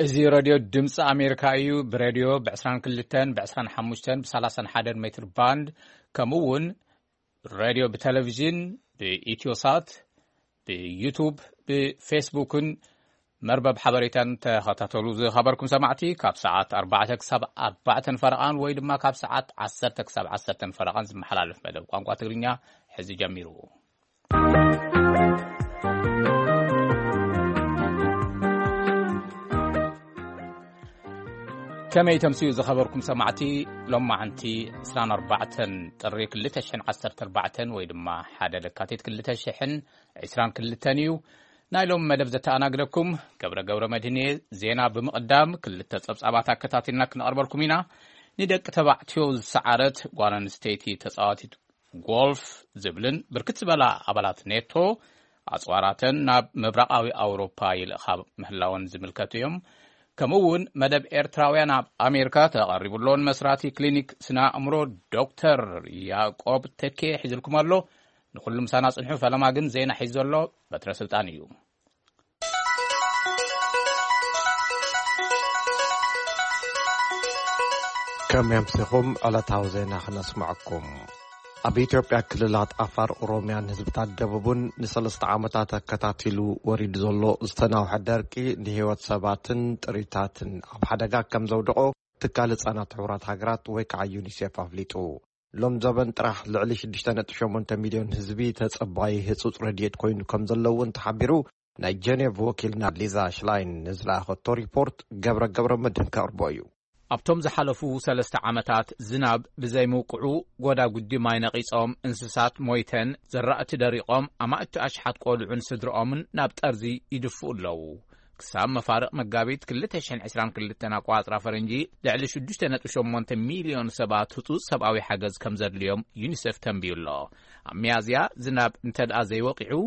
እዚ ሬድዮ ድምፂ ኣሜሪካ እዩ። ብሬድዮ ብ22፣ ብ25፣ ብ31 ሜትር ባንድ፣ ከምኡ እውን ሬድዮ ብቴሌቪዥን፣ ብኢትዮሳት፣ ብዩቱብ፣ ብፌስቡክን መርበብ ሓበሬታን ተኸታተሉ። ዝኸበርኩም ሰማዕቲ፣ ካብ ሰዓት ኣርባዕተ ክሳብ ኣርባዕተን ፈረቓን ወይ ድማ ካብ ሰዓት ዓሰርተ ክሳብ ዓሰርተን ፈረቓን ዝመሓላለፍ መደብ ቋንቋ ትግርኛ ሕዚ ጀሚሩ። ከመይ ተምስዩ ዝኸበርኩም ሰማዕቲ? ሎማዓንቲ ዕስራን ኣርባዕተን ጥሪ ክልተ ሽሕን ዓሰርተ ኣርባዕተን ወይ ድማ ሓደ ለካቲት ክልተ ሽሕን ዕስራን ክልተን እዩ። ናይ ሎም መደብ ዘተኣናግደኩም ገብረ ገብረ መድህን እየ። ዜና ብምቕዳም ክልተ ጸብጻባት ኣከታቲልና ክነቕርበልኩም ኢና። ንደቂ ተባዕትዮ ዝሰዓረት ጓል ኣንስተይቲ ተጻዋቲት ጎልፍ ዝብልን ብርክት ዝበላ ኣባላት ኔቶ ኣጽዋራተን ናብ ምብራቓዊ ኣውሮፓ ይልእኻ ምህላወን ዝምልከቱ እዮም። ከምኡ እውን መደብ ኤርትራውያን ኣብ ኣሜሪካ ተቐሪቡ ኣሎ። ንመስራቲ ክሊኒክ ስነ ኣእምሮ ዶክተር ያዕቆብ ተኬ ሒዝልኩም ኣሎ። ንኹሉ ምሳና ጽንሑ። ፈለማ ግን ዜና ሒዙ ዘሎ በትረ ስልጣን እዩ። ከመይ ኣምሲኹም? ዕለታዊ ዜና ክነስምዐኩም። ኣብ ኢትዮጵያ ክልላት ዓፋር፣ ኦሮምያን ህዝብታት ደቡብን ንሰለስተ ዓመታት ኣከታቲሉ ወሪዱ ዘሎ ዝተናውሐ ደርቂ ንህይወት ሰባትን ጥሪታትን ኣብ ሓደጋ ከም ዘውደቖ ትካል ህጻናት ሕቡራት ሃገራት ወይ ከዓ ዩኒሴፍ ኣፍሊጡ። ሎም ዘበን ጥራሕ ልዕሊ ሽዱሽተ ነጥቢ ሸሞንተ ሚልዮን ህዝቢ ተጸባዪ ህጹጽ ረድኤት ኮይኑ ከም ዘሎ እውን ተሓቢሩ። ናይ ጀኔቭ ወኪልና ሊዛ ሽላይን ንዝለኣኸቶ ሪፖርት ገብረ ገብረ መድህን ከቕርቦ እዩ። ኣብቶም ዝሓለፉ ሰለስተ ዓመታት ዝናብ ብዘይምውቅዑ፣ ጎዳጉዲ ማይ ነቒጾም፣ እንስሳት ሞይተን፣ ዘራእቲ ደሪቖም፣ ኣማእቲ ኣሽሓት ቆልዑን ስድርኦምን ናብ ጠርዚ ይድፍኡ ኣለዉ። ክሳብ መፋርቕ መጋቢት ክልተ ሽሕን ዕስራን ክልተን ኣቋጽራ ፈረንጂ፣ ልዕሊ ሽዱሽተ ነጥቢ ሸሞንተ ሚልዮን ሰባት ህጹጽ ሰብኣዊ ሓገዝ ከም ዘድልዮም ዩኒሴፍ ተንብዩ ኣሎ። ኣብ ሚያዝያ ዝናብ እንተ ደኣ ዘይወቂዑ፣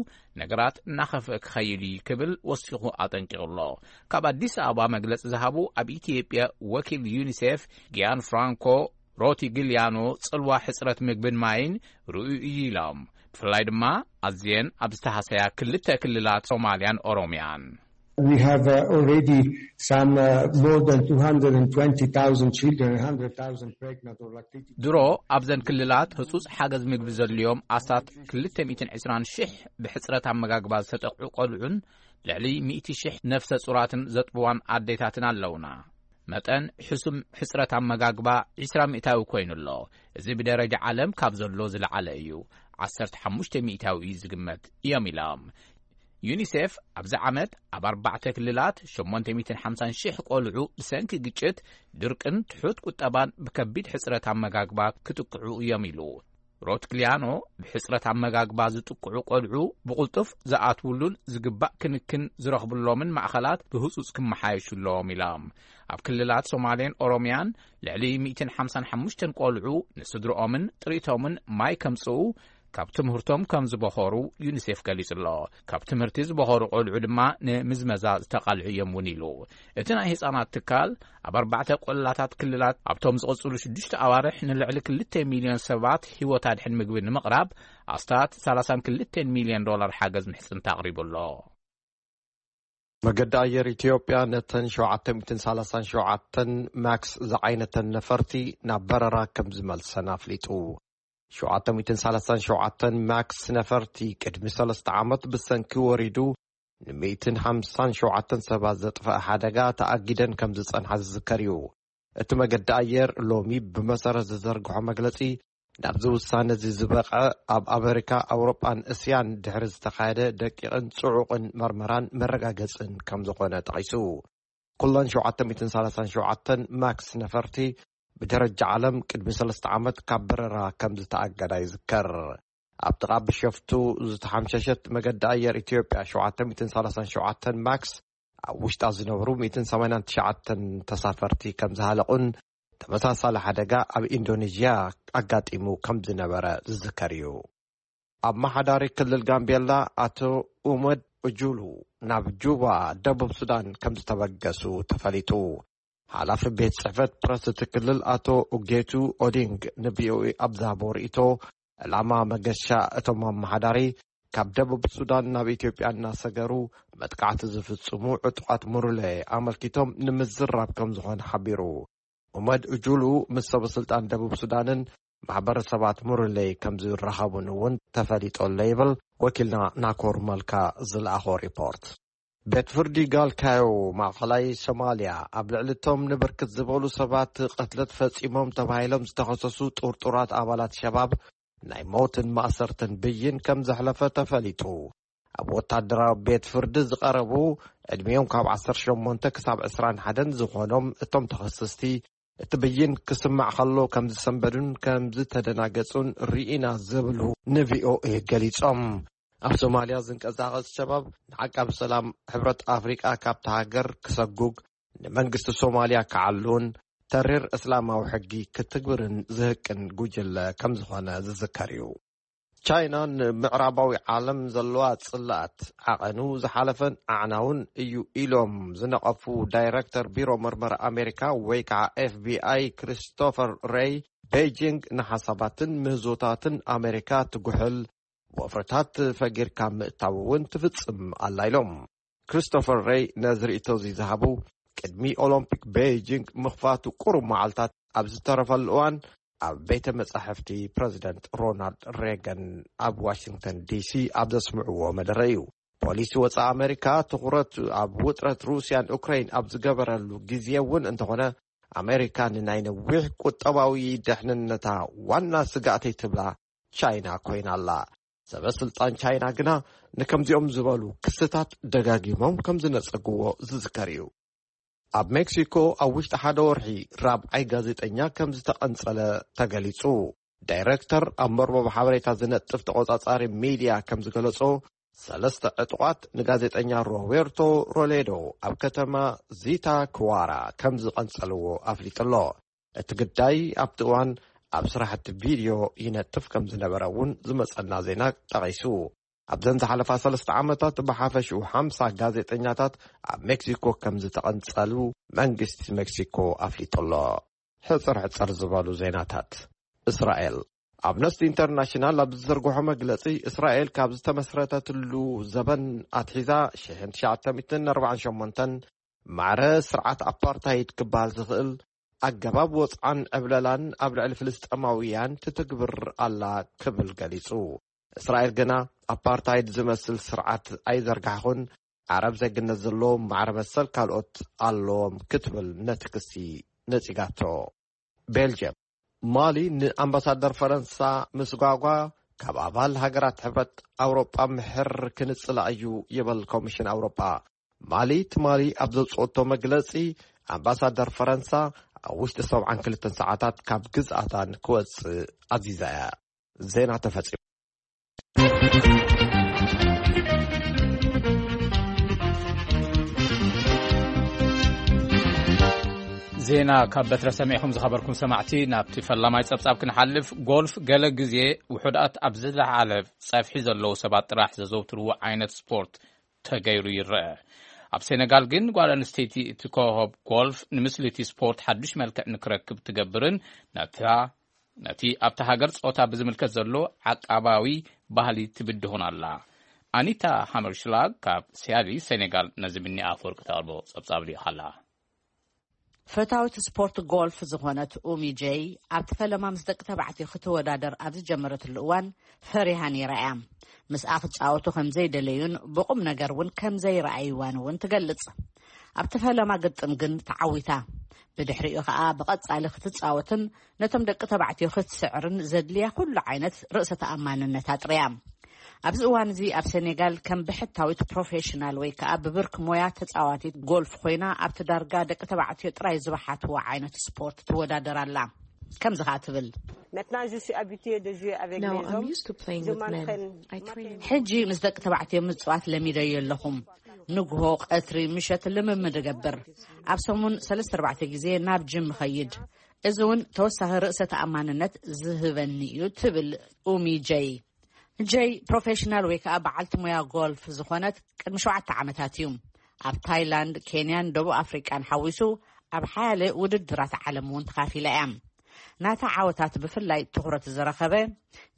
ነገራት እናኸፍአ ክኸይድ እዩ ክብል ወሲኹ ኣጠንቂቑ ኣሎ። ካብ ኣዲስ ኣበባ መግለጺ ዝሃቡ ኣብ ኢትዮጵያ ወኪል ዩኒሴፍ ጊያን ፍራንኮ ሮቲግሊያኖ፣ ጽልዋ ሕጽረት ምግብን ማይን ርእዩ እዩ ኢሎም። ብፍላይ ድማ ኣዝየን ኣብ ዝተሃሰያ ክልተ ክልላት ሶማልያን ኦሮምያን። We have uh, already some uh, more than two hundred twenty thousand children, one hundred thousand pregnant or lactating. ድሮ ኣብዘን ክልላት ህጹጽ ሓገዝ ምግቢ ዘድልዮም ኣስታት ክልተ ሚእትን ዕስራን ሽሕ ብሕጽረት ኣመጋግባ ዝተጠቕዑ ቆልዑን ልዕሊ ሚእቲ ሽሕ ነፍሰ ጹራትን ዘጥብዋን ኣዴታትን ኣለውና። መጠን ሕሱም ሕጽረት ኣመጋግባ ዕስራ ሚእታዊ ኮይኑ ኣሎ። እዚ ብደረጃ ዓለም ካብ ዘሎ ዝለዓለ እዩ። ዓሰርተ ሓሙሽተ ሚእታዊ እዩ ዝግመት እዮም ኢሎም። ዩኒሴፍ ኣብዚ ዓመት ኣብ ኣርባዕተ ክልላት ሸሞንተ ሚእትን ሓምሳን ሽሕ ቆልዑ ብሰንኪ ግጭት፣ ድርቅን ትሑት ቁጠባን ብከቢድ ሕጽረት ኣመጋግባ ክጥቅዑ እዮም ኢሉ። ሮትግሊያኖ፣ ብሕጽረት ኣመጋግባ ዝጥቅዑ ቆልዑ ብቕልጡፍ ዝኣትውሉን ዝግባእ ክንክን ዝረኽብሎምን ማእኸላት ብህጹጽ ክመሓየሹ ኣለዎም ኢሎም። ኣብ ክልላት ሶማሌን ኦሮምያን ልዕሊ ሚእትን ሓምሳን ሓሙሽተን ቆልዑ ንስድርኦምን ጥሪቶምን ማይ ከምጽኡ፣ ካብ ትምህርቶም ከም ዝበኾሩ ዩኒሴፍ ገሊጹ ኣሎ። ካብ ትምህርቲ ዝበኾሩ ቆልዑ ድማ ንምዝመዛ ዝተቓልዑ እዮም እውን ኢሉ። እቲ ናይ ህጻናት ትካል ኣብ ኣርባዕተ ቆላታት ክልላት ኣብቶም ዝቕጽሉ ሽዱሽተ ኣዋርሕ ንልዕሊ ክልተ ሚልዮን ሰባት ህይወት ኣድሕን ምግቢ ንምቕራብ ኣስታት ሰላሳን ክልተን ሚልዮን ዶላር ሓገዝ ምሕጽንታ ኣቕሪቡ ኣሎ። መገዲ ኣየር ኢትዮጵያ ነተን ሸውዓተ ሚእትን ሰላሳን ሸውዓተን ማክስ ዝዓይነተን ነፈርቲ ናብ በረራ ከም ዝመልሰን ኣፍሊጡ። ሸውዓተ ሚእትን ሰላሳን ሸውዓተን ማክስ ነፈርቲ ቅድሚ ሰለስተ ዓመት ብሰንኪ ወሪዱ ንሚእትን ሓምሳን ሸውዓተን ሰባት ዘጥፈአ ሓደጋ ተኣጊደን ከም ዝጸንሓ ዝዝከር እዩ። እቲ መገዲ ኣየር ሎሚ ብመሰረት ዝዘርግሖ መግለጺ፣ ናብዚ ውሳነ እዚ ዝበቕዐ ኣብ ኣመሪካ፣ ኣውሮጳን እስያን ድሕሪ ዝተኻየደ ደቂቕን ጽዑቕን መርመራን መረጋገጽን ከም ዝኾነ ጠቒሱ። ኩለን ሸውዓተ ሚእትን ሰላሳን ሸውዓተን ማክስ ነፈርቲ ብደረጃ ዓለም ቅድሚ ሰለስተ ዓመት ካብ በረራ ከም ዝተኣገዳ ይዝከር። ኣብ ጥቓ ብሸፍቱ ዝተሓምሸሸት መገዲ ኣየር ኢትዮጵያ ሸውዓተ ሚእትን ሰላሳን ሸውዓተን ማክስ ኣብ ውሽጣ ዝነብሩ ሚእትን ሰማንያን ትሽዓተን ተሳፈርቲ ከም ዝሃለቑን ተመሳሳሊ ሓደጋ ኣብ ኢንዶኔዥያ ኣጋጢሙ ከም ዝነበረ ዝዝከር እዩ። ኣመሓዳሪ ክልል ጋምቤላ ኣቶ ኡመድ ኡጁሉ ናብ ጁባ ደቡብ ሱዳን ከም ዝተበገሱ ተፈሊጡ። ሓላፊ ቤት ጽሕፈት ፕረስ እቲ ክልል ኣቶ ኡጌቱ ኦዲንግ ንቪኦኤ ኣብ ዝሃቦ ርእይቶ፣ ዕላማ መገሻ እቶም ኣመሓዳሪ ካብ ደቡብ ሱዳን ናብ ኢትዮጵያ እናሰገሩ መጥቃዕቲ ዝፍጽሙ ዕጡቓት ሙርሌ ኣመልኪቶም ንምዝራብ ከም ዝኾነ ሓቢሩ። ኡመድ እጁሉ ምስ ሰበስልጣን ደቡብ ሱዳንን ማሕበረሰባት ሙርሌ ከም ዝራኸቡን እውን ተፈሊጦ ኣሎ ይብል ወኪልና ናኮር መልካ ዝለኣኾ ሪፖርት። ቤት ፍርዲ ጋልካዮ ማእኸላይ ሶማልያ ኣብ ልዕሊ እቶም ንብርክት ዝበሉ ሰባት ቅትለት ፈጺሞም ተባሂሎም ዝተኸሰሱ ጥርጡራት ኣባላት ሸባብ ናይ ሞትን ማእሰርትን ብይን ከም ዘሕለፈ ተፈሊጡ። ኣብ ወታደራዊ ቤት ፍርዲ ዝቐረቡ ዕድሚኦም ካብ ዓሰርተ ሸሞንተ ክሳብ ዕስራን ሓደን ዝኾኖም እቶም ተኸሰስቲ እቲ ብይን ክስማዕ ከሎ ከም ዝሰንበዱን ከም ዝተደናገጹን ርኢና ዝብሉ ንቪኦኤ ገሊጾም። ኣብ ሶማልያ ዝንቀሳቐስ ሸባብ ንዓቃብ ሰላም ሕብረት ኣፍሪቃ ካብታ ሃገር ክሰጉግ፣ ንመንግስቲ ሶማልያ ክዓሉን ተሪር እስላማዊ ሕጊ ክትግብርን ዝህቅን ጉጅለ ከም ዝኾነ ዝዝከር እዩ። ቻይና ንምዕራባዊ ዓለም ዘለዋ ጽልኣት ዓቐኑ ዝሓለፈን ኣዕናውን እዩ ኢሎም ዝነቐፉ ዳይረክተር ቢሮ መርመራ ኣሜሪካ ወይ ከዓ ኤፍቢኣይ ክሪስቶፈር ሬይ፣ ቤጂንግ ንሓሳባትን ምህዞታትን ኣሜሪካ ትጉሕል፣ ወፍርታት ፈጊርካ ምእታው እውን ትፍጽም ኣላ ኢሎም። ክሪስቶፈር ሬይ ነዚ ርእይቶ እዚ ዝሃቡ ቅድሚ ኦሎምፒክ ቤጂንግ ምኽፋቱ ቁሩብ መዓልታት ኣብ ዝተረፈሉ እዋን፣ ኣብ ቤተ መጻሕፍቲ ፕረዚደንት ሮናልድ ሬገን ኣብ ዋሽንግተን ዲሲ ኣብ ዘስምዕዎ መደረ እዩ። ፖሊሲ ወጻኢ ኣሜሪካ ትኹረት ኣብ ውጥረት ሩስያን ኡክራይን ኣብ ዝገበረሉ ግዜ እውን እንተኾነ፣ ኣሜሪካ ንናይ ነዊሕ ቁጠባዊ ደሕንነታ ዋና ስጋእተይ ትብላ ቻይና ኮይና ኣላ። ሰበ ስልጣን ቻይና ግና ንከምዚኦም ዝበሉ ክስታት ደጋጊሞም ከም ዝነጸግዎ ዝዝከር እዩ። ኣብ ሜክሲኮ ኣብ ውሽጢ ሓደ ወርሒ ራብዓይ ጋዜጠኛ ከም ዝተቐንጸለ ተገሊጹ። ዳይረክተር ኣብ መርበብ ሓበሬታ ዝነጥፍ ተቖጻጻሪ ሚድያ ከም ዝገለጾ፣ ሰለስተ ዕጡቓት ንጋዜጠኛ ሮቤርቶ ሮሌዶ ኣብ ከተማ ዚታ ክዋራ ከም ዝቐንጸልዎ ኣፍሊጡ ኣሎ። እቲ ግዳይ ኣብቲ እዋን ኣብ ስራሕቲ ቪድዮ ይነጥፍ ከም ዝነበረ እውን ዝመጸና ዜና ጠቒሱ። ኣብዘን ዝሓለፋ ሰለስተ ዓመታት ብሓፈሽኡ ሓምሳ ጋዜጠኛታት ኣብ ሜክሲኮ ከም ዝተቐንጸሉ መንግስቲ ሜክሲኮ ኣፍሊጡ ኣሎ። ሕጽር ሕጽር ዝበሉ ዜናታት። እስራኤል። ኣምነስቲ ኢንተርናሽናል ኣብ ዝዘርግሖ መግለጺ፣ እስራኤል ካብ ዝተመስረተትሉ ዘበን ኣትሒዛ ሽሕን ትሽዓተ ሚእትን ኣርባዓን ሸሞንተን ማዕረ ስርዓት ኣፓርታይድ ክበሃል ዝኽእል ኣገባብ ወጽዓን ዕብለላን ኣብ ልዕሊ ፍልስጤማውያን ትትግብር ኣላ ክብል ገሊጹ። እስራኤል ግና ኣፓርታይድ ዝመስል ስርዓት ኣይዘርጋሕኹን፣ ዓረብ ዜግነት ዘለዎም ማዕረ መሰል ካልኦት ኣለዎም ክትብል ነቲ ክሲ ነጺጋቶ። ቤልጅየም። ማሊ ንኣምባሳደር ፈረንሳ ምስጓጓ ካብ ኣባል ሃገራት ሕብረት ኣውሮጳ ምሕር ክንጽላ እዩ ይብል ኮሚሽን ኣውሮጳ። ማሊ ትማሊ ኣብ ዘውጽኦቶ መግለጺ፣ ኣምባሳደር ፈረንሳ ኣብ ውሽጢ ሰብዓን ክልተን ሰዓታት ካብ ግዝኣታ ንክወጽእ ኣዚዛ እያ። ዜና ተፈጺሙ። ዜና ካብ በትረ ሰሚዕኹም ዝኸበርኩም ሰማዕቲ፣ ናብቲ ፈላማይ ጸብጻብ ክንሓልፍ። ጎልፍ ገለ ግዜ ውሑዳት ኣብ ዝለዓለ ጸፍሒ ዘለዉ ሰባት ጥራሕ ዘዘውትርዎ ዓይነት ስፖርት ተገይሩ ይረአ። ኣብ ሴነጋል ግን ጓል ኣንስተይቲ እቲ ኮኸብ ጎልፍ ንምስሊ እቲ ስፖርት ሓዱሽ መልክዕ ንክረክብ ትገብርን ነታ ነቲ ኣብታ ሃገር ጾታ ብዝምልከት ዘሎ ዓቃባዊ ባህሊ ትብድሆን ኣላ። ኣኒታ ሃመርሽላግ ካብ ሲያሊ ሴኔጋል ነዚ ብኒ ኣፈወርቂ ተቕርቦ ጸብጻብ ልኢኻ ኣላ። ፈታዊት ስፖርት ጎልፍ ዝኾነት ኡሚ ጀይ ኣብቲ ፈለማ ምስ ደቂ ተባዕትዮ ክትወዳደር ኣብ ዝጀመረትሉ እዋን ፈሪሃ ነይራ እያ። ምስኣ ክጻወቱ ከም ዘይደለዩን ብቑም ነገር እውን ከም ዘይረኣይዋን እውን ትገልጽ። ኣብቲ ፈለማ ግጥም ግን ተዓዊታ። ብድሕሪኡ ኸኣ ብቐጻሊ ክትጻወትን ነቶም ደቂ ተባዕትዮ ክትስዕርን ዘድልያ ኩሉ ዓይነት ርእሰ ተኣማንነት ኣጥርያ። ኣብዚ እዋን እዚ ኣብ ሴኔጋል ከም ብሕታዊት ፕሮፌሽናል ወይ ከኣ ብብርክ ሞያ ተጻዋቲት ጎልፍ ኮይና ኣብቲ ዳርጋ ደቂ ተባዕትዮ ጥራይ ዝበሓትዎ ዓይነት ስፖርት ትወዳደር ኣላ። ከምዚ ኸኣ ትብል። Maintenant, je suis habituée de jouer avec Now les I'm hommes. Used to playing Je with men. M'entraîne. I train. ሕጂ ምስ ደቂ ተባዕትዮ ምጽዋት ለሚደዮ ኣለኹም። ንግሆ፣ ቀትሪ፣ ምሸት ልምምድ እገብር። ኣብ ሰሙን ሰለስተ ኣርባዕተ ግዜ ናብ ጅም እኸይድ። እዚ እውን ተወሳኺ ርእሰ ተኣማንነት ዝህበኒ እዩ ትብል ኡሚ ጀይ። ጀይ ፕሮፌሽናል ወይ ከዓ በዓልቲ ሞያ ጎልፍ ዝኾነት ቅድሚ ሸውዓተ ዓመታት እዩ ኣብ ታይላንድ፣ ኬንያን ደቡብ ኣፍሪቃን ሓዊሱ ኣብ ሓያለ ውድድራት ዓለም እውን ተኻፊላ እያ። ናታ ዓወታት ብፍላይ ትኹረት ዝረኸበ፣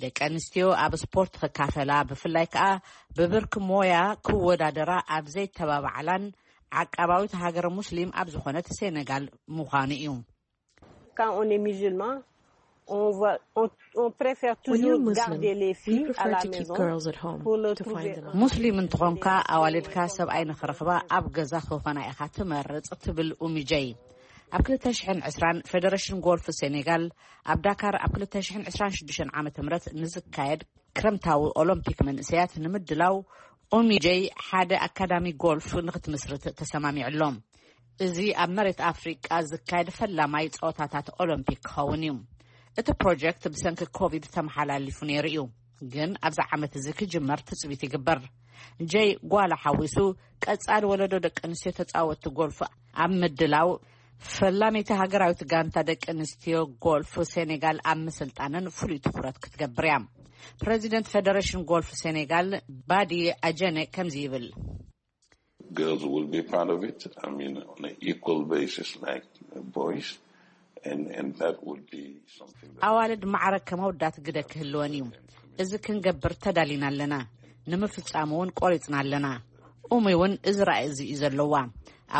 ደቂ ኣንስትዮ ኣብ ስፖርት ክካፈላ፣ ብፍላይ ከኣ ብብርኪ ሞያ ክወዳደራ ኣብ ዘይተባባዓላን ዓቃባዊት ሃገር ሙስሊም ኣብ ዝኾነት ሴኔጋል ምዃኑ እዩ። Quand on est musulman, on, va, on, on préfère When you're toujours Muslim, garder les we filles à prefer la to keep maison girls at home pour leur to trouver find them un a ሙስሊም እንትኾንካ ኣዋልድካ ሰብኣይ ንኽረኽባ ኣብ ገዛ ክኾና ኢኻ ትመርጽ፣ ትብል ኡሚ ጀይ። ኣብ ክልተ ሽሕን ዕስራን ፌደሬሽን ጎልፍ ሴኔጋል ኣብ ዳካር ኣብ ክልተ ሽሕን ዕስራን ሽዱሽተን ዓመተ ምህረት ንዝካየድ ክረምታዊ ኦሎምፒክ መንእሰያት ንምድላው ኡሚ ጀይ ሓደ ኣካዳሚ ጎልፍ ንኽትምስርት ተሰማሚዑ ኣሎ። እዚ ኣብ መሬት ኣፍሪቃ ዝካየድ ፈላማይ ጸወታታት ኦሎምፒክ ክኸውን እዩ። እቲ ፕሮጀክት ብሰንኪ ኮቪድ ተመሓላሊፉ ነይሩ እዩ፣ ግን ኣብዚ ዓመት እዚ ክጅመር ትጽቢት ይግበር። ጀይ ጓላ ሓዊሱ ቀጻሊ ወለዶ ደቂ ኣንስትዮ ተጻወትቲ ጎልፍ ኣብ ምድላው ፈላመይቲ ሃገራዊት ጋንታ ደቂ ኣንስትዮ ጎልፍ ሴኔጋል ኣብ ምስልጣንን ፍሉይ ትኹረት ክትገብር እያ። ፕረዚደንት ፌደሬሽን ጎልፍ ሴኔጋል ባዲ ኣጀነ ከምዚ ይብል። Girls will be part of it, I mean, on an equal basis like boys, and, and that would be something that ኣዋልድ ማዕረ ከም ኣወዳት ግደ ክህልወን እዩ። እዚ ክንገብር ተዳሊና ኣለና፣ ንምፍጻም እውን ቆሪጽና ኣለና። ኡሚ እውን እዚ ራእይ እዚ እዩ ዘለዋ።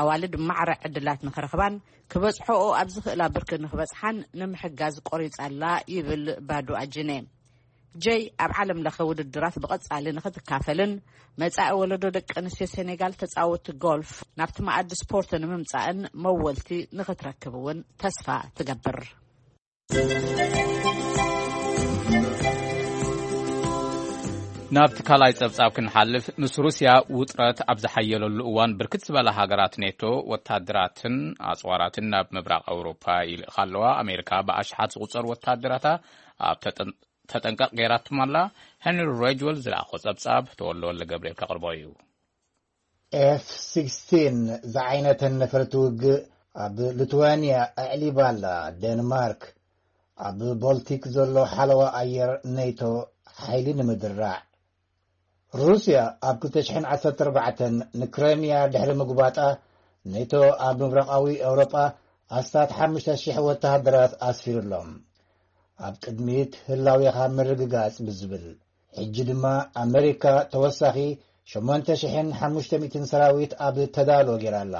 ኣዋልድ ማዕረ ዕድላት ንኽረኽባን ክበጽሕኦ ኣብ ዝኽእላ ብርኪ ንኽበጽሓን ንምሕጋዝ ቆሪጻ ኣላ፣ ይብል ባዱ ኣጅነ። ጀይ ኣብ ዓለም ለኸ ውድድራት ብቐጻሊ ንኽትካፈልን መጻኢ ወለዶ ደቂ ኣንስትዮ ሴኔጋል ተጻወቲ ጎልፍ ናብቲ መኣዲ ስፖርት ንምምጻእን መወልቲ ንኽትረክብ እውን ተስፋ ትገብር። ናብቲ ካልኣይ ጸብጻብ ክንሓልፍ፣ ምስ ሩስያ ውጥረት ኣብ ዝሓየለሉ እዋን ብርክት ዝበላ ሃገራት ኔቶ ወታደራትን ኣጽዋራትን ናብ ምብራቕ ኣውሮፓ ይልእኻ ኣለዋ። ኣሜሪካ ብኣሽሓት ዝቑጸሩ ወታደራታ ኣብ ተጠንቀቕ ገይራቶም ኣላ። ሄንሪ ሬጅወል ዝለኣኾ ጸብጻብ ተወልደ ወልደ ገብርኤል ከቕርቦ እዩ። ኤፍ ሲክስቲን ዝዓይነተን ነፈርቲ ውግእ ኣብ ሊትዋንያ ኣዕሊባ ኣላ። ዴንማርክ ኣብ ቦልቲክ ዘሎ ሓለዋ ኣየር ኔቶ ሓይሊ ንምድራዕ። ሩስያ ኣብ ክልተ ሽሕን ዓሰርተ ኣርባዕተን ንክረምያ ድሕሪ ምግባጣ፣ ኔቶ ኣብ ምብራቓዊ ኤውሮጳ ኣስታት ሓሙሽተ ሽሕ ወተሃደራት ኣስፊሩ ኣሎ። ኣብ ቅድሚት ህላዌኻ ምርግጋጽ ብዝብል፣ ሕጂ ድማ ኣመሪካ ተወሳኺ ሸሞንተ ሽሕን ሓሙሽተ ሚእትን ሰራዊት ኣብ ተዳሎ ገይራ ኣላ።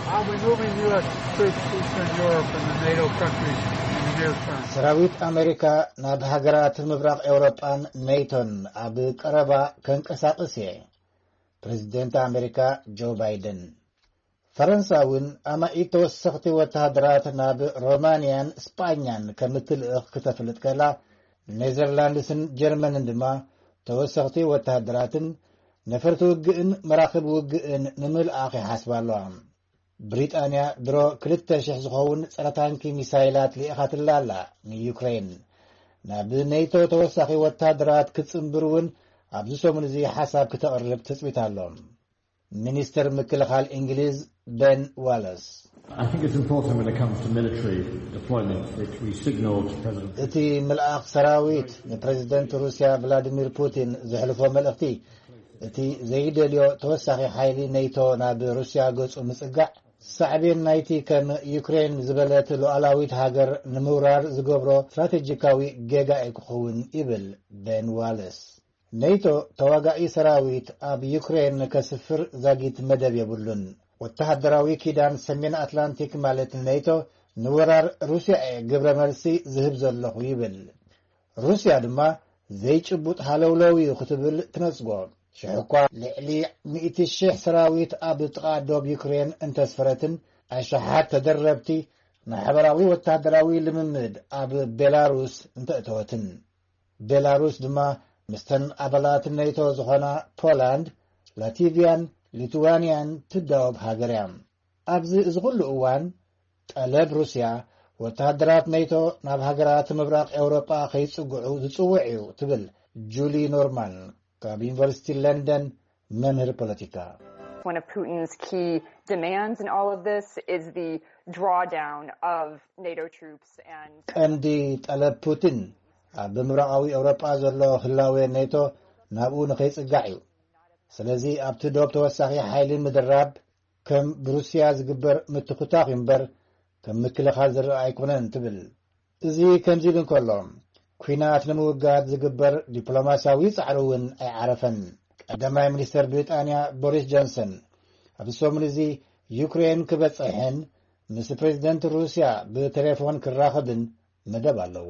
I'll be moving U S troops to Eastern Europe and the NATO countries in the near term. ሰራዊት ኣመሪካ ናብ ሃገራት ምብራቕ ኤውሮጳን ኔቶን ኣብ ቀረባ ከንቀሳቕስ እየ። ፕረዚደንት ኣመሪካ ጆ ባይደን። ፈረንሳ እውን ኣማኢት ተወሰኽቲ ወተሃደራት ናብ ሮማንያን ስጳኛን ከም እትልእኽ ክተፍልጥ ከላ፣ ኔዘርላንድስን ጀርመንን ድማ ተወሰኽቲ ወተሃደራትን ነፈርቲ ውግእን መራኽብ ውግእን ንምልኣኽ ይሓስባ ኣለዋ። ብሪጣንያ ድሮ ክልተ ሽሕ ዝኸውን ጸረ ታንኪ ሚሳይላት ልኢኻትላ ኣላ ንዩክሬን። ናብ ኔቶ ተወሳኺ ወተሃደራት ክትጽንብር እውን ኣብዚ ሰሙን እዚ ሓሳብ ክተቕርብ ትጽቢት ኣሎ። ሚኒስትር ምክልኻል እንግሊዝ ቤን ዋለስ። I think it's important when it comes to military deployment that we signal to President እቲ ምልኣኽ ሰራዊት ንፕረዚደንት ሩስያ ቭላዲሚር ፑቲን ዘሕልፎ መልእኽቲ፣ እቲ ዘይደልዮ ተወሳኺ ሓይሊ ኔቶ ናብ ሩስያ ገጹ ምጽጋዕ፣ ሳዕቤን ናይቲ ከም ዩክሬን ዝበለት ሉዓላዊት ሃገር ንምውራር ዝገብሮ ስትራቴጂካዊ ጌጋ እዩ ክኸውን፣ ይብል ቤን ዋለስ። ኔቶ ተዋጋኢ ሰራዊት ኣብ ዩክሬን ከስፍር ዛጊት መደብ የብሉን። ወተሃደራዊ ኪዳን ሰሜን ኣትላንቲክ ማለት ኔቶ ንወራር ሩስያ እየ ግብረ መልሲ ዝህብ ዘለኹ፣ ይብል። ሩስያ ድማ ዘይጭቡጥ ሃለውለው እዩ ክትብል ትነጽጎ። ሽሕ እኳ ልዕሊ ሚእቲ ሽሕ ሰራዊት ኣብ ጥቓ ዶብ ዩክሬን እንተስፈረትን፣ ኣሽሓት ተደረብቲ ማሕበራዊ ወተሃደራዊ ልምምድ ኣብ ቤላሩስ እንተእተወትን። ቤላሩስ ድማ ምስተን ኣባላት ኔቶ ዝኾና ፖላንድ፣ ላቲቪያን ሊቱዋንያን ትዳወብ ሃገር እያ። ኣብዚ እዚ ኩሉ እዋን፣ ጠለብ ሩስያ ወተሃደራት ኔቶ ናብ ሃገራት ምብራቕ ኤውሮጳ ከይጽግዑ ዝጽውዕ እዩ ትብል ጁሊ ኖርማን ካብ ዩኒቨርሲቲ ለንደን መምህር ፖለቲካ። One of Putin's key demands in all of this is the drawdown of NATO troops and ቀንዲ ጠለብ ፑቲን ኣብ ምብራቓዊ ኤውሮጳ ዘሎ ህላዌ ኔቶ ናብኡ ንኸይጽጋዕ እዩ። ስለዚ ኣብቲ ዶብ ተወሳኺ ሓይሊ ምድራብ ከም ብሩስያ ዝግበር ምትኹታኽ እዩ እምበር ከም ምክልኻል ዝረኣ ኣይኮነን ትብል። እዚ ከምዚ ኢሉ እንከሎ፣ ኲናት ንምውጋድ ዝግበር ዲፕሎማስያዊ ጻዕሪ እውን ኣይዓረፈን። ቀዳማይ ሚኒስተር ብሪጣንያ ቦሪስ ጆንሰን ኣብዚ ሰሙን እዚ ዩክሬን ክበጽሕን ምስ ፕሬዚደንት ሩስያ ብቴሌፎን ክራኸብን መደብ ኣለዎ።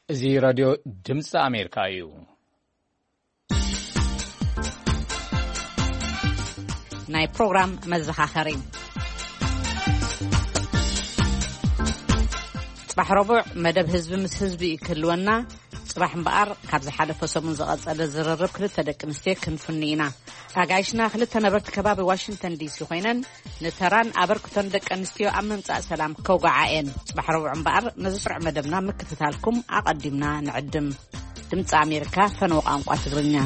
እዚ ራድዮ ድምፂ ኣሜሪካ እዩ። ናይ ፕሮግራም መዘኻኸሪ። ጽባሕ ረቡዕ መደብ ህዝቢ ምስ ህዝቢ ክህልወና፣ ጽባሕ እምበኣር ካብ ዝሓለፈ ሰሙን ዝቐጸለ ዝርርብ ክልተ ደቂ ኣንስትዮ ክንፍኑ ኢና። ኣጋይሽና ክልተ ነበርቲ ከባቢ ዋሽንግተን ዲሲ ኮይነን ንተራን ኣበርክቶን ደቂ ኣንስትዮ ኣብ ምምጻእ ሰላም ከውግዓ እየን። ጽባሕ ረቡዕ እምበኣር ነዚ ስሩዕ መደብና ምክትታልኩም ኣቐዲምና ንዕድም። ድምፂ ኣሜሪካ ፈነወ ቋንቋ ትግርኛ።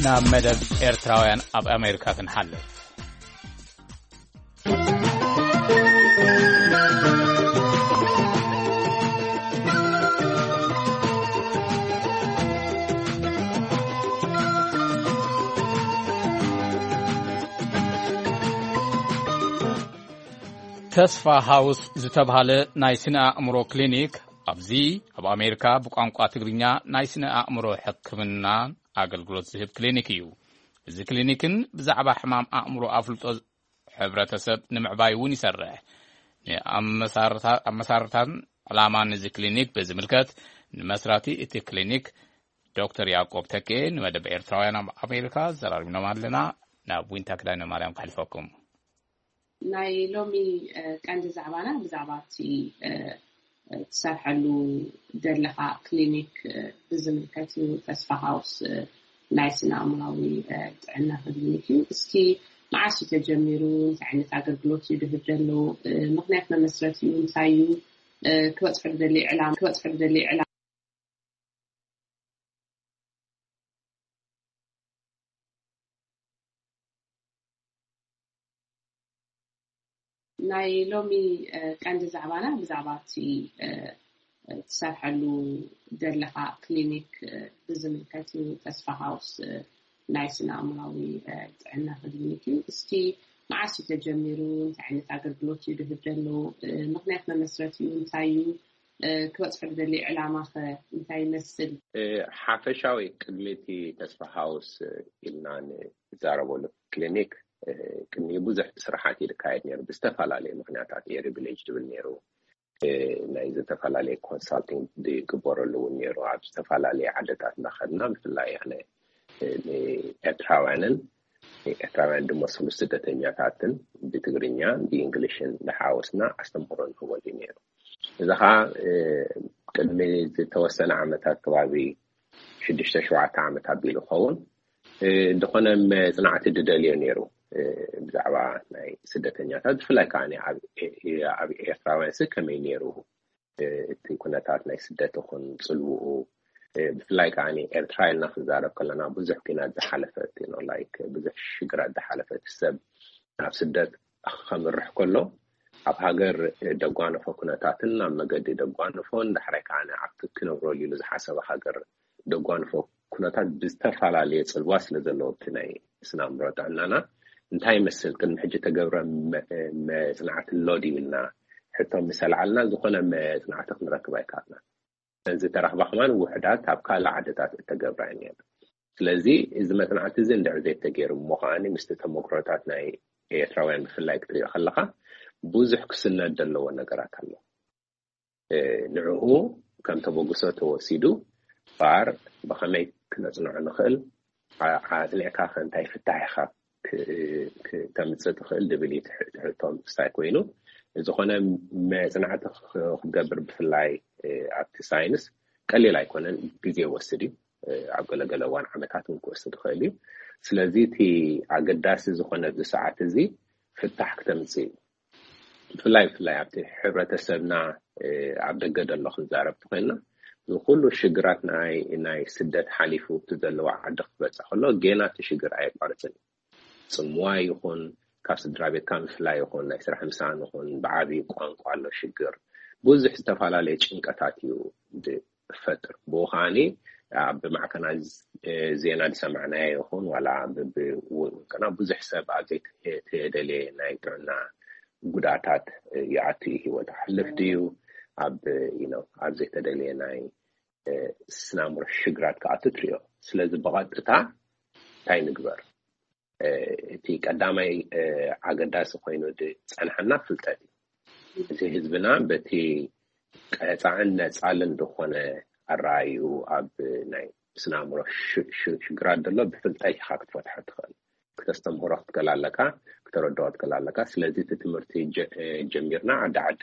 ናብ መደብ ኤርትራውያን ኣብ ኣሜሪካ ክንሓልፍ። ተስፋ ሃውስ ዝተብሃለ ናይ ስነ ኣእምሮ ክሊኒክ ኣብዚ ኣብ ኣሜሪካ ብቋንቋ ትግርኛ ናይ ስነ ኣእምሮ ሕክምና ኣገልግሎት ዝህብ ክሊኒክ እዩ። እዚ ክሊኒክን ብዛዕባ ሕማም ኣእምሮ ኣፍልጦ ሕብረተሰብ ንምዕባይ እውን ይሰርሕ። ንኣመሳርታ-፣ ኣመሳርታን ዕላማን እዚ ክሊኒክ ብዝምልከት ንመስራቲ እቲ ክሊኒክ ዶክተር ያዕቆብ ተኬ ንመደብ ኤርትራውያን ኣብ ኣሜሪካ ዘራሪብኖም ኣለና። ናብ ዊንታ ክዳነ ማርያም ከሕልፈኩም። ናይ ሎሚ፣ እ፣ ቀንዲ ዛዕባና ብዛዕባ እቲ፣ እ፣ እ፣ ትሰርሐሉ ዘለኻ ክሊኒክ፣ እ፣ ብዝምልከት እዩ። ተስፋ ሃውስ፣ እ፣ ናይ ስነ ኣእምራዊ፣ እ፣ ጥዕና ክሊኒክ እዩ። እስኪ መዓስ እዩ ተጀሚሩ? እንታይ ዓይነት ኣገልግሎት እዩ ድህብ ዘሎ? እ፣ ምኽንያት መመስረቲኡ እንታይ እዩ? እ፣ ክበጽሖ ዝደሊ ዕላማ፣ ክበጽሖ ዝደሊ ዕላማ ናይ ሎሚ፣ እ፣ ቀንዲ ዛዕባና ብዛዕባ እቲ፣ እ፣ እ፣ ትሰርሐሉ ዘለኻ ክሊኒክ፣ እ፣ ብዝምልከት እዩ። ተስፋ ሃውስ፣ እ፣ ናይ ስነ ኣእምራዊ፣ እ፣ ጥዕና ክሊኒክ እዩ። እስቲ መዓስ እዩ ተጀሚሩ? እንታይ ዓይነት ኣገልግሎት እዩ ድህብ ዘሎ? እ፣ ምኽንያት መመስረቲኡ እንታይ እዩ? እ፣ ክበጽሖ ዝደሊ ዕላማ ኸ እንታይ ይመስል? እ፣ ሓፈሻዊ ቅድሚ እቲ ተስፋ ሃውስ፣ እ፣ ኢልና ንዛረበሉ ክሊኒክ፣ እ፣ ቅድሚ ብዙሕ ስራሓት እዩ ዝካየድ ነይሩ። ብዝተፈላለየ ምኽንያታት ኤሪ ቪሌጅ ዝብል ነይሩ። እ፣ ናይ ዝተፈላለየ ኮንሳልቲንግ ዝግበረሉ እውን ነይሩ። ኣብ ዝተፈላለየ ዓድታት እናኸድና ብፍላይ ኣነ፣ እ፣ ንኤርትራውያንን ንኤርትራውያን ዝመስሉ ስደተኛታትን ብትግርኛ ብእንግሊሽን ዝሓወስና ኣስተምህሮ ንህበሉ ነይሩ። እዚ ኸዓ፣ እ፣ ቅድሚ ዝተወሰነ ዓመታት ከባቢ ሽዱሽተ ሸውዓተ ዓመት ኣቢሉ ይኸውን፣ እ፣ ዝኾነ መጽናዕቲ ዝደልዮ ነይሩ፣ እ፣ ብዛዕባ ናይ ስደተኛታት ብፍላይ ከዓ ኣብ ኤ-፣ ኣብ ኤርትራውያን ሲ ከመይ ነይሩ፣ እ፣ እቲ ኩነታት ናይ ስደት ይኹን ጽልውኡ፣ እ፣ ብፍላይ ከዓ ኤርትራ ኢልና ክንዛረብ ከለና ብዙሕ ኲናት ዝሓለፈት፣ you know, like ብዙሕ ሽግራት ዝሓለፈት ሰብ ናብ ስደት ከምርሕ ከሎ ኣብ ሃገር ደጓንፎ ኩነታትን ኣብ መገዲ ደጓንፎን ዳሕራይ ከዓ ኣብቲ ክነብረሉ ኢሉ ዝሓሰበ ሃገር ደጓንፎ ኩነታት ብዝተፈላለየ ጽልዋ ስለ ዘለዎ እቲ ናይ ስነ ኣእምሮ ጥዕናና እንታይ ይመስል፣ ቅድሚ ሕጂ ተገብረ መ-፣ መጽናዕቲ ኣሎ ድዩ ኢልና ሕቶ ምስ ኣልዓልና ዝኾነ መጽናዕቲ ክንረክብ ኣይከኣልናን። እተን ዝተረኽባ ከማን ውሑዳት ኣብ ካልእ ዓድታት እተገብራ እየን። ስለዚ እዚ መጽናዕቲ እዚ እንድሕር ዘይተገይሩ እሞ ከኣ ምስቲ ተመክሮታት ናይ ኤርትራውያን ብፍላይ ክትሪኦ ከለኻ ብዙሕ ክስነድ ዘለዎ ነገራት ኣሎ። እ፣ ንዕኡ ከም ተበግሶ ተወሲዱ ባር ብኸመይ ክነጽንዖ ንኽእል፣ ዓ-፣ ኣጽኒዕካ ከ እንታይ ፍታሕ ኢኻ ክ-፣ ክ-፣ ተምጽእ ትኽእል ዝብል እዩ ትሕ-፣ ትሕቶ ምስታይ ኮይኑ፣ ዝኾነ መጽናዕቲ ክ-፣ ክትገብር ብፍላይ፣ እ፣ ኣብቲ ሳይንስ ቀሊል ኣይኮነን፣ ግዜ ይወስድ እዩ። እ፣ ኣብ ገለገለ እዋን ዓመታት እውን ክወስድ ይኽእል እዩ። ስለዚ እቲ ኣገዳሲ ዝኾነ ኣብዚ ሰዓት እዚ ፍታሕ ክተምጽእ እዩ። ብፍላይ፣ ብፍላይ ኣብቲ ሕብረተሰብና፣ እ፣ ኣብ ደገ ዘሎ ክንዛረብ ተኾይንና፣ እዚ ኩሉ ሽግራት ናይ፣ ናይ ስደት ሓሊፉ እቲ ዘለዎ ዓዲ ክበጽሕ ከሎ፣ ጌና እቲ ሽግር ኣየቋርጽን እዩ። ጽምዋ ይኹን፣ ካብ ስድራ ቤትካ ምፍላይ ይኹን፣ ናይ ስራሕ ምሳን ይኹን፣ ብዓቢ ቋንቋ ኣሎ ሽግር። ብዙሕ ዝተፈላለየ ጭንቀታት እዩ ዝፈጥር። ብኡ ከኣኒ ኣብ ማዕከናይዝ ዜና ዝሰማዕናዮ ይኹን ዋላ ብውልቅና ብዙሕ ሰብ ኣብ ዘይተደልየ ናይ ጥዕና ጉድኣታት ይኣቱ እዩ። ህይወት ሓልፍ ድዩ? ኣብ ኣብ ዘይተደልየ ናይ ስናምሮ ሽግራት ክኣቱ ትሪኦ። ስለዚ ብቐጥታ እንታይ ንግበር? እቲ ቀዳማይ ኣገዳሲ ኮይኑ ዝፀንሐና ፍልጠት እዩ። እቲ ህዝብና በቲ ቀፃዕን ነፃልን ዝኾነ ኣረኣዩ ኣብ ናይ ስናምሮ ሽግራት ዘሎ ብፍልጠት ኢኻ ክትፈትሖ ትኽእል። ክተስተምህሮ ክትክእል ኣለካ፣ ክተረድኦ ክትክእል ኣለካ። ስለዚ እቲ ትምህርቲ ጀሚርና ዓዲ ዓዲ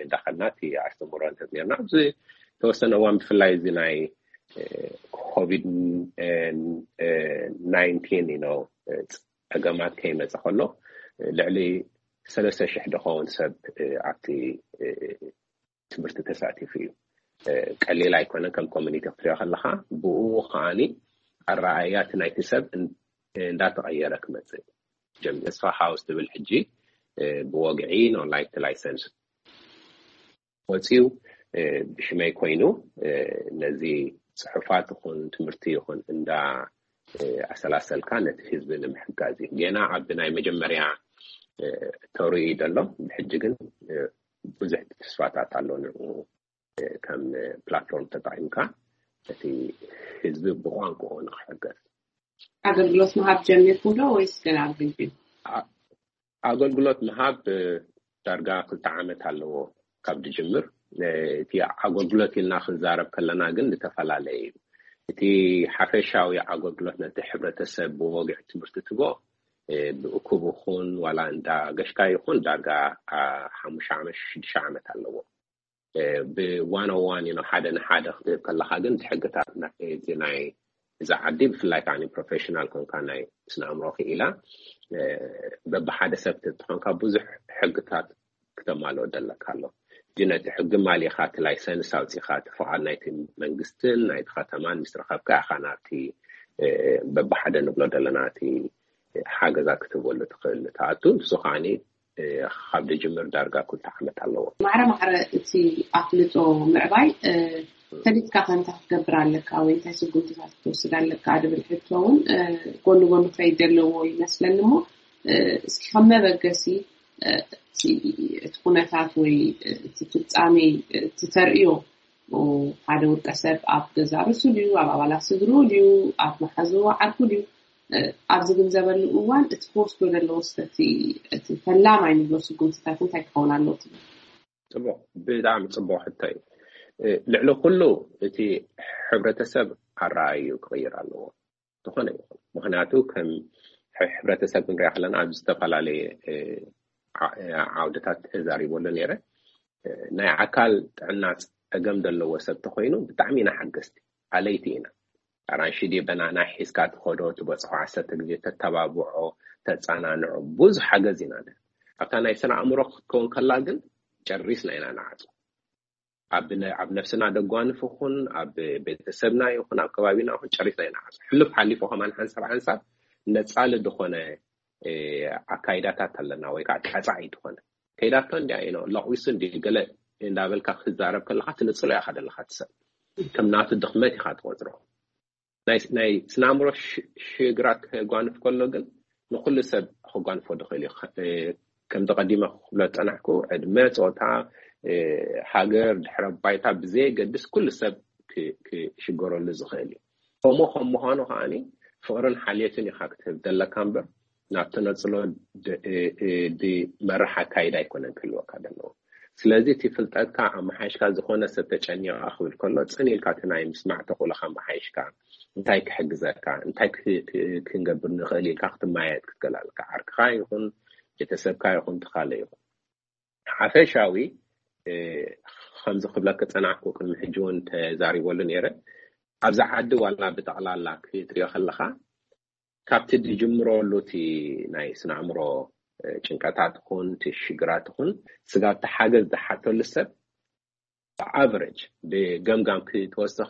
እንዳኸድና እቲ ኣስተምህሮ ንህብ ነርና። ኣብዚ ተወሰነ እዋን ብፍላይ እዚ ናይ ኮቪድ ናይንቲን ዩ ጸገማት ከይመፀ ከሎ ልዕሊ ሰለስተ ሽሕ ዝኸውን ሰብ ኣብቲ ትምህርቲ ተሳቲፉ እዩ። ቀሊል ኣይኮነን። ከም ኮሚኒቲ ክትሪኦ ከለካ ብኡ ከዓኒ ኣረኣእያ እቲ ናይቲ ሰብ እንዳተቐየረ ክመፅእ ጀሚሩ። ተስፋ ሃውስ ትብል ሕጂ ብወግዒ ኖ ላይት ላይሰንስ ወፂኡ ብሽመይ ኮይኑ ነዚ ፅሑፋት ይኹን ትምህርቲ ይኹን እንዳ ኣሰላሰልካ ነቲ ህዝቢ ንምሕጋዝ እዩ። ጌና ኣብ ናይ መጀመርያ ተርኢ ዘሎ ብሕጂ ግን ብዙሕ ተስፋታት ኣሎ ንኡ ከም ፕላትፎርም ተጠቒምካ እቲ ህዝቢ ብቋንቋኡ ንክሕገዝ። ኣገልግሎት ምሃብ ጀሚርኩም ዶ ወይስ ገና ኣብ ግቢ? ኣገልግሎት ምሃብ ዳርጋ ክልተ ዓመት ኣለዎ ካብ ድጅምር። እቲ ኣገልግሎት ኢልና ክንዛረብ ከለና ግን ዝተፈላለየ እዩ። እቲ ሓፈሻዊ ኣገልግሎት ነቲ ሕብረተሰብ ብወግዒ ትምህርቲ ትቦ ብእኩብ ይኹን ዋላ እንዳ ገሽካ ይኹን ዳርጋ ሓሙሽተ ዓመት ሽዱሽተ ዓመት ኣለዎ። ብዋን ኦን ዋን ሓደ ንሓደ ክትህብ ከለካ ግን ሕግታት እዚ ናይ እዛ ዓዲ ብፍላይ ከዓ ፕሮፌሽናል ኮንካ ናይ ስነ ኣእምሮ ክኢላ በብሓደ ሰብ ተኾንካ ብዙሕ ሕግታት ክተማልኦ ደለካ ኣሎ። እዚ ነቲ ሕጊ ማሊኻ እቲ ላይሰንስ ኣውፂኻ እቲ ፍቓድ ናይቲ መንግስትን ናይቲ ከተማን ምስ ረኸብካ ኢኻ ናብቲ በብሓደ ንብሎ ዘለና እቲ ሓገዛ ክትህበሉ ትኽእል ትኣቱ። ንሱ ከዓኒ ካብ ድጅምር ዳርጋ ኩልተ ዓመት ኣለዎ። ማዕረ ማዕረ እቲ ኣፍልጦ ምዕባይ ፈሊጥካ ከ እንታይ ክትገብር ኣለካ ወይ እንታይ ስጉምትታት ክትወስድ ኣለካ ድብል ሕቶ እውን ጎኒ ጎኒ ክኸይድ ዘለዎ ይመስለኒ። እሞ እስኪ ከም መበገሲ እቲ ኩነታት ወይ እቲ ፍጻሜ እቲ ተርእዮ ሓደ ውልቀ ሰብ ኣብ ገዛ ርእሱ ድዩ ኣብ ኣባላት ስድርኡ ድዩ ኣብ መሓዝኡ ዓርኩ ድዩ ኣብ ዝግንዘበሉ እዋን እቲ ክወስዶ ዘለዎ ስለ እቲ ፈላማይ ንብሎ ስጉምትታት እንታይ ክኸውን ኣለዎ ትብል? ፅቡቕ፣ ብጣዕሚ ፅቡቕ ሕቶ እዩ። ልዕሊ ኩሉ እቲ ሕብረተሰብ ኣረኣዩ ክቕይር ኣለዎ ዝኾነ ይኹን። ምክንያቱ ከም ሕብረተሰብ ክንሪኣ ከለና ኣብ ዝተፈላለየ ዓውድታት ተዛሪበሉ ነይረ። ናይ ኣካል ጥዕና ፀገም ዘለዎ ሰብ ተኮይኑ ብጣዕሚ ኢና ሓገዝቲ ኣለይቲ ኢና። ኣራንሺ ድየ በናና ሒዝካ ትኸዶ ትበፅሖ ዓሰርተ ግዜ ተተባብዖ ተፃናንዖ ብዙሕ ሓገዝ ኢና ንህብ። ኣብታ ናይ ስነ ኣእምሮ ክትከውን ከላ ግን ጨሪስና ኢና ንዓፁ። ኣብ ነፍስና ደጓንፍ ይኹን ኣብ ቤተሰብና ይኹን ኣብ ከባቢና ይኹን ጨሪስና ኢና ንዓፁ። ሕሉፍ ሓሊፉ ከማን ሓንሳብ ሓንሳብ ነፃሊ ዝኾነ ኣካይዳታት ኣለና ወይ ከዓ ቀፃዒ ዝኾነ ከይዳቶ እንዲያ ኢኖ ለቒሱ እንዲ ገለ እንዳበልካ ክዛረብ ከለካ ትንፅሎ ኢካ ደለካ ትሰብ ከም ናቱ ድክመት ኢካ ትቆፅሮ። ናይ ስናምሮ ሽግራት ክጓንፍ ከሎ ግን ንኩሉ ሰብ ክጓንፎ ድኽእል እዩ። ከምቲ ቀዲመ ክብሎ ዝፀናሕኩ ዕድመ፣ ፆታ፣ ሃገር፣ ድሕረ ባይታ ብዘየገድስ ኩሉ ሰብ ክሽገረሉ ዝኽእል እዩ። ከምኡ ከም ምዃኑ ከዓኒ ፍቕርን ሓልዮትን ኢኻ ክትህብ ዘለካ እምበር ናብ ተነፅሎ ድመርሕ ኣካይዳ ኣይኮነን ክህልወካ ዘለዎ። ስለዚ እቲ ፍልጠትካ ኣመሓይሽካ ዝኾነ ሰብ ተጨኒቐ ክብል ከሎ ፅን ኢልካ እቲ ናይ ምስማዕ ተኽእሎካ ኣመሓይሽካ እንታይ ክሕግዘካ እንታይ ክንገብር ንኽእል ኢልካ ክትመያየጥ ክትክእል ኣለካ። ዓርክኻ ይኹን ቤተሰብካ ይኹን ትኻለ ይኹን ሓፈሻዊ ከምዚ ክብለካ ፀናሕኩ ቅድሚ ሕጂ እውን ተዛሪበሉ ነይረ። ኣብዚ ዓዲ ዋላ ብጠቕላላ ክትሪኦ ከለካ ካብቲ ዝጅምረሉ እቲ ናይ ስነ ኣእምሮ ጭንቀታት ኹን እቲ ሽግራት ኹን ስጋብ እቲ ሓገዝ ዝሓተሉ ሰብ ብኣቨሬጅ ብገምጋም ክትወስድ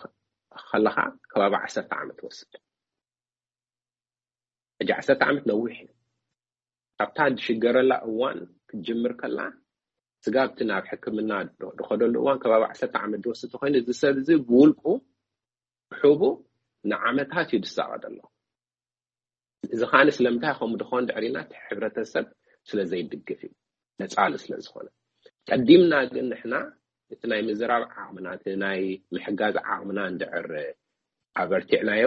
ከለካ ከባቢ ዓሰርተ ዓመት ትወስድ። ሕጂ ዓሰርተ ዓመት ነዊሕ እዩ። ካብታ ዝሽገረላ እዋን ክትጅምር ከላ ስጋብ እቲ ናብ ሕክምና ዝኸደሉ እዋን ከባቢ ዓሰርተ ዓመት ዝወስድ ተኮይኑ እዚ ሰብ እዚ ብውልቁ ብሕቡ ንዓመታት እዩ ዝሳቐ ዘሎ። እዚ ኸዓኒ ስለምንታይ ከምኡ ድኾን ድሕሪና እቲ ሕብረተሰብ ስለ ዘይድግፍ እዩ፣ ነጻሉ ስለ ዝኾነ። ቀዲምና ግን ንሕና እቲ ናይ ምዝራብ ዓቕምና፣ እቲ ናይ ምሕጋዝ ዓቕምና እንድዕር ኣበርቲዕናዮ፣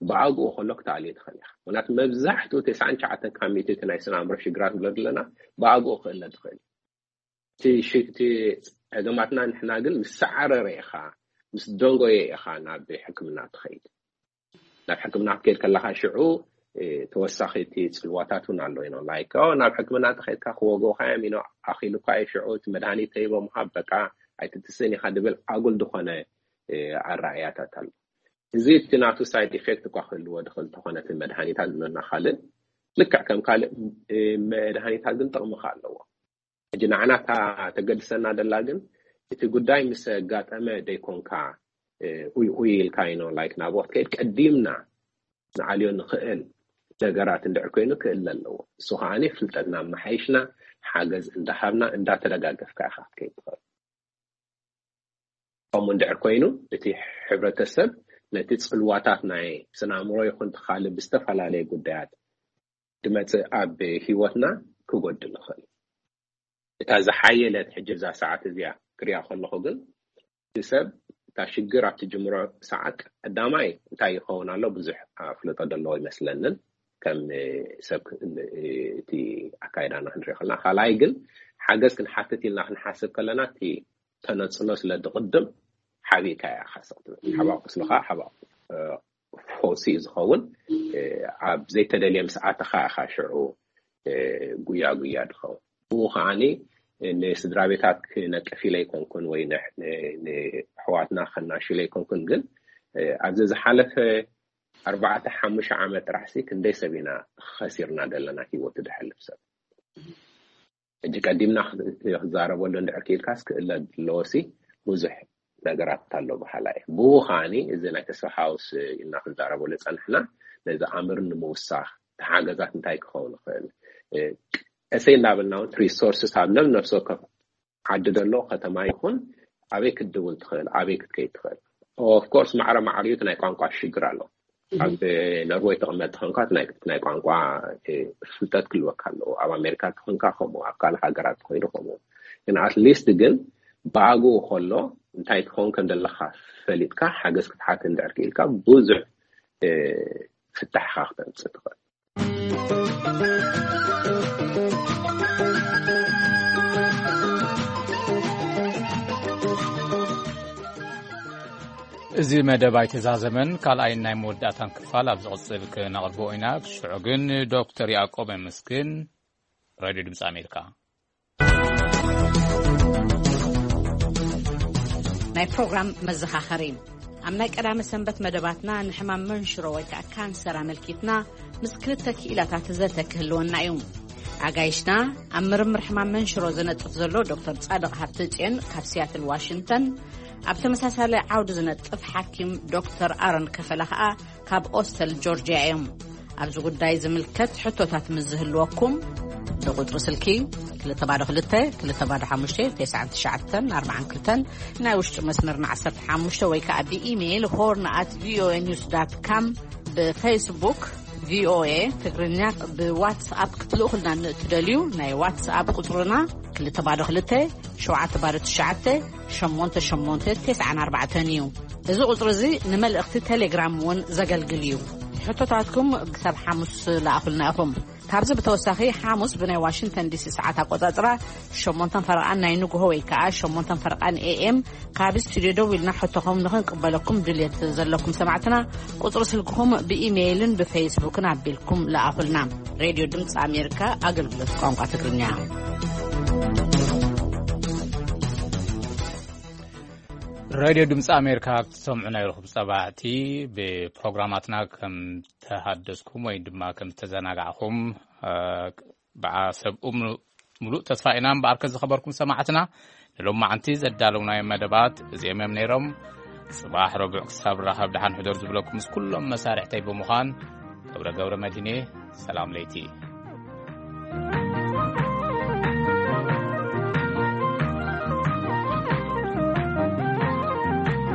ብኣግኡ ከሎ ክትኣልዮ ትኽእል ኢኻ። ምክንያቱ መብዛሕትኡ ተስዓን ትሽዓተን ካብ ሚእቲ እቲ ናይ ስነ ኣእምሮ ሽግራት ንብሎ ዘለና ብኣግኡ ክእለ ትኽእል እዩ። እቲ ሽ-፣ እቲ ጸገማትና ንሕና ግን ምስ ሰዓረረ ኢኻ፣ ምስ ደንጎየ ኢኻ ናብ ሕክምና ትኸይድ። ናብ ሕክምና ክትከይድ ከለኻ ሽዑ፣ እ፣ ተወሳኺ እቲ ጽልዋታት እውን ኣሎ። You know, like, ኦ፣ ናብ ሕክምና እንተኸይድካ ክወግኡኻ እዮም፣ you know፣ ኣኺሉካ እዩ፣ ሽዑ እቲ መድሃኒት ተሂቦምኻ፣ በቃ ኣይትትስእን ኢኻ ድብል ኣጉል ዝኾነ፣ እ፣ ኣረኣእያታት ኣሎ። እዚ እቲ ናቱ ሳይድ ኢፌክት እኳ ክህልዎ ድኽእል እንተኾነ እቲ መድሃኒታት ዝብለና ካልእ፣ ልክዕ ከም ካልእ፣ እ፣ መድሃኒታት ግን ጥቕሚ ከ ኣለዎ። ሕጂ ንዓና እታ ተገድሰና ደላ ግን እቲ ጉዳይ ምስ ኣጋጠመ ደይኮንካ፣ እ፣ ኡይ ኡይ ኢልካ፣ you know, like፣ ናብኡ ክትከይድ ቀዲምና ንኣልዮ ንኽእል ነገራት እንድሕር ኮይኑ ክእለ ኣለዎ። እሱ ከዓኒ ፍልጠትና ኣመሓይሽና፣ ሓገዝ እንዳሃብና፣ እንዳተደጋገፍካ ኢኻ ክትከይድ ትኽእል። ከምኡ እንድሕር ኮይኑ እቲ ሕብረተሰብ ነቲ ጽልዋታት ናይ ስነ ኣእምሮ ይኹን እቲ ካልእ ብዝተፈላለየ ጉዳያት ድመጽእ ኣብ ህይወትና ክጎድል ይኽእል። እታ ዝሓየለት ሕጂ እዛ ሰዓት እዚኣ ክሪኣ ከለኹ ግን እቲ ሰብ እታ ሽግር ኣብቲ ጅምሮ ሰዓት ቀዳማይ እንታይ ይኸውን ኣሎ ብዙሕ ኣፍልጦ ዘለዎ ይመስለንን ከም ሰብ ክ-፣ እቲ ኣካይዳና ክንሪኦ ከለና። ካልኣይ ግን ሓገዝ ክንሓትት ኢልና ክንሓስብ ከለና እቲ ተነጽሎ ስለ ዝቕድም ሓቢእካ እያ ኢኻ ስቕ ትብል። ሓባእ ቁስልኻ ሓባእ፣ እ፣ ፈውሲ እዩ ዝኸውን። እ፣ ኣብ ዘይተደልየ ምስ ኣተኻ ኢኻ ሽዑ፣ እ፣ ጉያ ጉያ ዝኸውን። ብኡ ከዓኒ ንስድራ ቤታት ክነቅፍ ኢለ ኣይኮንኩን ወይ ን-፣ ን-፣ ንኣሕዋትና ከናሹ ኢለ ኣይኮንኩን፣ ግን፣ እ፣ ኣብዚ ዝሓለፈ ኣርባዕተ ሓሙሽተ ዓመት ጥራሕሲ ክንደይ ሰብ ኢና ኸሲርና ዘለና ህይወቱ ድሐልፍ ሰብ። ሕጂ ቀዲምና ክዛረበሉ እንድሕር ክኢልካስ ክእለ ኣለዎሲ ብዙሕ ነገራት ኣሎ በሃላ እየ። ብኡ ከዓኒ እዚ ናይ ተስፋ ሃውስ ኢልና ክንዛረበሉ ጸንሕና ነዚ ኣምር ንምውሳኽ ተሓገዛት እንታይ ክኸውን ይኽእል? እ፣ ቀሰይ እናበልና እውን ሪሶርስስ ኣብ ነብ ነፍሲ ወከፍ ዓዲ ዘሎ ከተማ ይኹን ኣበይ ክትድውል ትኽእል፣ ኣበይ ክትከይድ ትኽእል። ኦፍ ኮርስ ማዕረ ማዕሪኡ እቲ ናይ ቋንቋ ሽግር ኣሎ። ኣብ ኖርዌይ ተቐመጥ ተኾንካ እቲ ናይ፣ ናይ ቋንቋ፣ እ፣ ፍልጠት ክልወካ ኣለዎ። ኣብ ኣሜሪካ ተኾንካ ከምኡ፣ ኣብ ካልእ ሃገራት ተኾይኑ ከምኡ። ግን ኣትሊስት ግን ብኣግኡ ከሎ እንታይ ትኸውን ከም ዘለኻ ፈሊጥካ ሓገዝ ክትሓት እንድሕር ክኢልካ ብዙሕ፣ እ፣ ፍታሕኻ ክተምጽእ ትኽእል። እዚ መደብ ኣይተዛዘመን፣ ካልኣይን ናይ መወዳእታን ክፋል ኣብ ዝቕጽል ክነቕርቦ ኢና። ክስዑ ግን ዶክተር ያዕቆብ የመስግን፣ ሬድዮ ድምፂ ኣሜሪካ። ናይ ፕሮግራም መዘኻኸሪ። ኣብ ናይ ቀዳመ ሰንበት መደባትና ንሕማም መንሽሮ ወይ ከዓ ካንሰር ኣመልኪትና ምስ ክልተ ክኢላታት ዘተ ክህልወና እዩ። ኣጋይሽና ኣብ ምርምር ሕማም መንሽሮ ዝነጥፍ ዘሎ ዶክተር ጻድቕ ሃብተጽዮን ካብ ሲያትል ዋሽንግተን፣ ኣብ ተመሳሳሊ ዓውዲ ዝነጥፍ ሓኪም ዶክተር ኣሮን ከፈለ ከዓ ካብ ኦስተል ጆርጅያ እዮም። ኣብዚ ጉዳይ ዝምልከት ሕቶታት ምስ ዝህልወኩም ብቁጽሪ ስልኪ ክልተ ባዶ ክልተ፣ ክልተ ባዶ ሓሙሽተ፣ ተስዓን ትሽዓተን፣ ኣርባዓን ክልተን፣ ናይ ውሽጢ መስመርና ዓሰርተ ሓሙሽተ ወይ ከዓ ብኢሜይል ሆርን ኣት ቪኦኤ ኒውስ ዳት ካም፣ ብፌስቡክ ቪኦኤ ትግርኛ፣ ብዋትስኣፕ ክትልእኹልና ንእትደልዩ ናይ ዋትስኣፕ ቁጽርና ክልተ ባዶ ክልተ፣ ሸውዓተ ባዶ ትሽዓተ፣ ሸሞንተ ሸሞንተ፣ ተስዓን ኣርባዕተን እዩ። እዚ ቁጽሪ እዚ ንመልእኽቲ ቴሌግራም እውን ዘገልግል እዩ። ሕቶታትኩም ክሳብ ሓሙስ ለኣኹልና ኢኹም። ካብዚ ብተወሳኺ ሓሙስ ብናይ ዋሽንግተን ዲሲ ሰዓት ኣቆጻጽራ ሸሞንተን ፈረቓን ናይ ንግሆ ወይ ከዓ ሸሞንተን ፈረቓን ኤ ኤም ካብ ስቱድዮ ደው ኢልና ሕቶኹም ንኽንቅበለኩም ድልየት ዘለኩም ሰማዕትና ቁጽሪ ስልክኹም ብኢሜይልን ብፌስቡክን ኣቢልኩም ለኣኹልና። ሬድዮ ድምፂ ኣሜሪካ ኣገልግሎት ቋንቋ ትግርኛ። ሬድዮ ድምፂ ኣሜሪካ ክትሰምዑ ናይ ርኹብ ጸባዕቲ ብፕሮግራማትና ከም ተሃደስኩም ወይ ድማ ከም ዝተዘናጋዕኹም፣ እ፣ ብዓ-፣ ሰብ እምኑ-፣ ምሉእ ተስፋ ኢና። እምበኣርከ ዝኸበርኩም ሰማዕትና ንሎማዓንቲ ዘዳለውናዮም መደባት እዚኦም እዮም ነይሮም። ጽባሕ ረቡዕ ክሳብ ራኸብ ደሓን ሕደሩ ዝብለኩም ምስ ኩሎም መሳርሕተይ ብምዃን ገብረ ገብረ መድህኔ ሰላም ለይቲ።